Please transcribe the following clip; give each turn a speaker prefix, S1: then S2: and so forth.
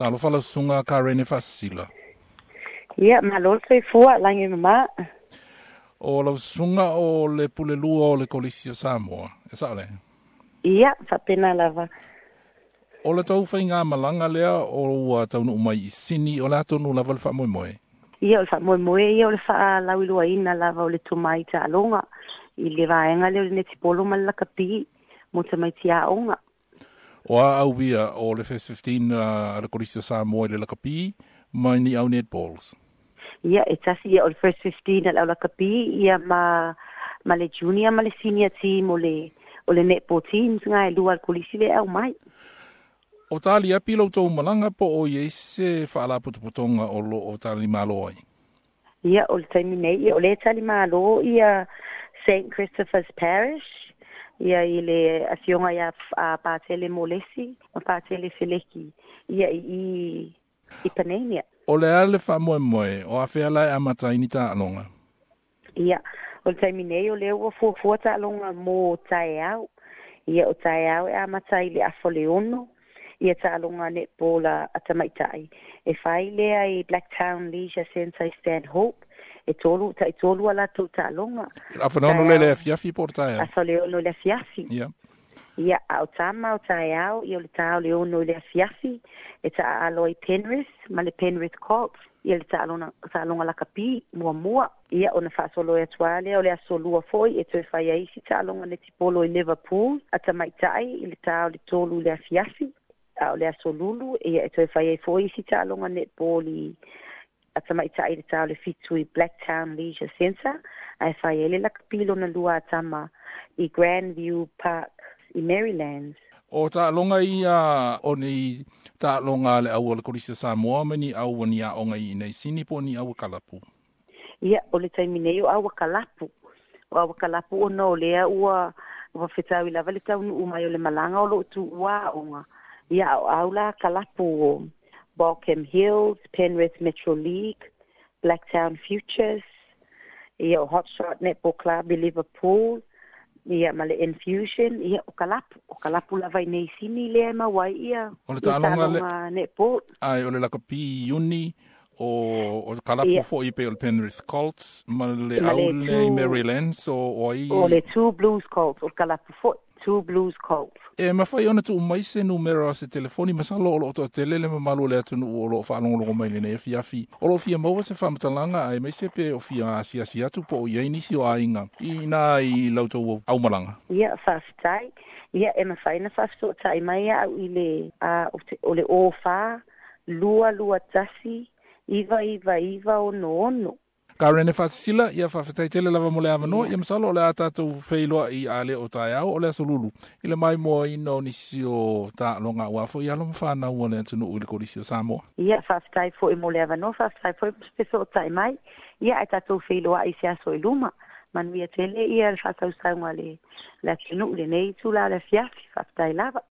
S1: Talofa lau susuga Karene Faasisila.
S2: Ia, malo le soifua, lagi mama.
S1: O lau susuga o le pulelua o le Kolisi o Samoa, e sao lea?
S2: Ia, faapena lava.
S1: O le tou faigamalaga lea o ua taunuu mai i Sini, o le a tonu lava le faamoemoe?
S2: Ia, o le faamoemoe ia o le faalauiloaina lava o le tomai taaloga i le vaega lea o le netipolo ma le lakapi mo tamaiti aoga.
S1: O a au ia o le First 15 a le Kolisi o Samoa i le lakapi ma ni au netballs?
S2: Ia, e tasi ia o le First 15 a le au lakapi ia ma le junior ma le senior team o le netball teams nga e lua a le Kolisi le au mai.
S1: O tali api lo tou malaga po o i ai se faalapotopotoga o lo o tali malo ai?
S2: Ia, o le taimi nei, ia, o le tali malo ia St. Christopher's Parish, ia i le afioga ia a Patele Molesi ma Patele Feleki, ia i Panania.
S1: O le a le faamoemoe, o afea la e amata ai ni taaloga?
S2: Ia, o le taimi nei o lea ua fuafua taaloga mo taeao. Ia, o taeao e amata i le 5:30, ia taaloga netball a tamaitai. E fai lea i Blacktown Leisure Centre i Stanhope, e tolu, tai tolu a latou taaloga.
S1: 5:30 le le afiafi po o le taeao?
S2: 5:30 i le afiafi. Ia, a o tama o taeao, ia o le ta o le 6 i le afiafi, e taaalo ai Penrith ma le Penrith Colts, ia le taaloga lakapi muamua. Ia, ona faasolo ai atu lava lea o le aso lua foi e toe fai ai isi taaloga netipolo i Liverpool, a tamaitai i le ta o le 3 i le afiafi. A o le aso lulu, ia e toe fai ai foi isi taaloga netball i a tamaitai i le ta o le 7 i Blacktown Leisure Centre, ae fai ai le lakapi lona lua a tama i Grandview Park i Maryland.
S1: O taaloga ia o ni taaloga a le au o le Kolisi o Samoa ma ni au o ni aoga i inei Sini po o ni au kalapu?
S2: Ia, o le taimi nei o au kalapu. O au kalapu ona o lea ua fetaui lava le taunuu mai o le malaga o loo tuua aoga. Ia, o au la kalapu o Balcombe Hills, Penrith Metro League, Blacktown Futures, ia o Hotshot Netball Club i Liverpool, ia ma le Infusion, ia o kalapu lava i nei Sini lea e maua ai ia
S1: O le taaloga le
S2: taaloga netball.
S1: Ai, o le lakapi Iuni o kalapu foi pe o le Penrith Colts ma le
S2: Ma
S1: au
S2: le
S1: le i Maryland, so o ai?
S2: O le Two Blues Colts, o le kalapu foi, Two Blues Colts.
S1: E mafai ona tuu mai se numera o se telefoni, masalo o loo toatele le mamalu o le atunuu o loo faalogologo mai lenei afiafi o loo fia maua se faamatalaga aemaise pe o fia asiasi atu po o i ai nisi o aiga i ina i lautou aumalaga.
S2: Ia, faafetai. Ia, e mafai na faafesootai mai au i le o le 04 221 999 66.
S1: Karene Faasisila, ia faafetai tele lava mo le avanoa. Ia masalo o le a tatou feiloai a le o taeao o le aso lulu i le maimoaina o nisi o taaloga aua foi alo ma fanau o le atunuu i le Kolisi o Samoa.
S2: Ia, faafetai foi mo le avanoa, faafetai foi mo se fesootai mai. Ia, ae tatou feiloai se aso i luma. Manuia tele ia le faatausauga le atunuu lenei itula o le afiafi. Faafetai lava.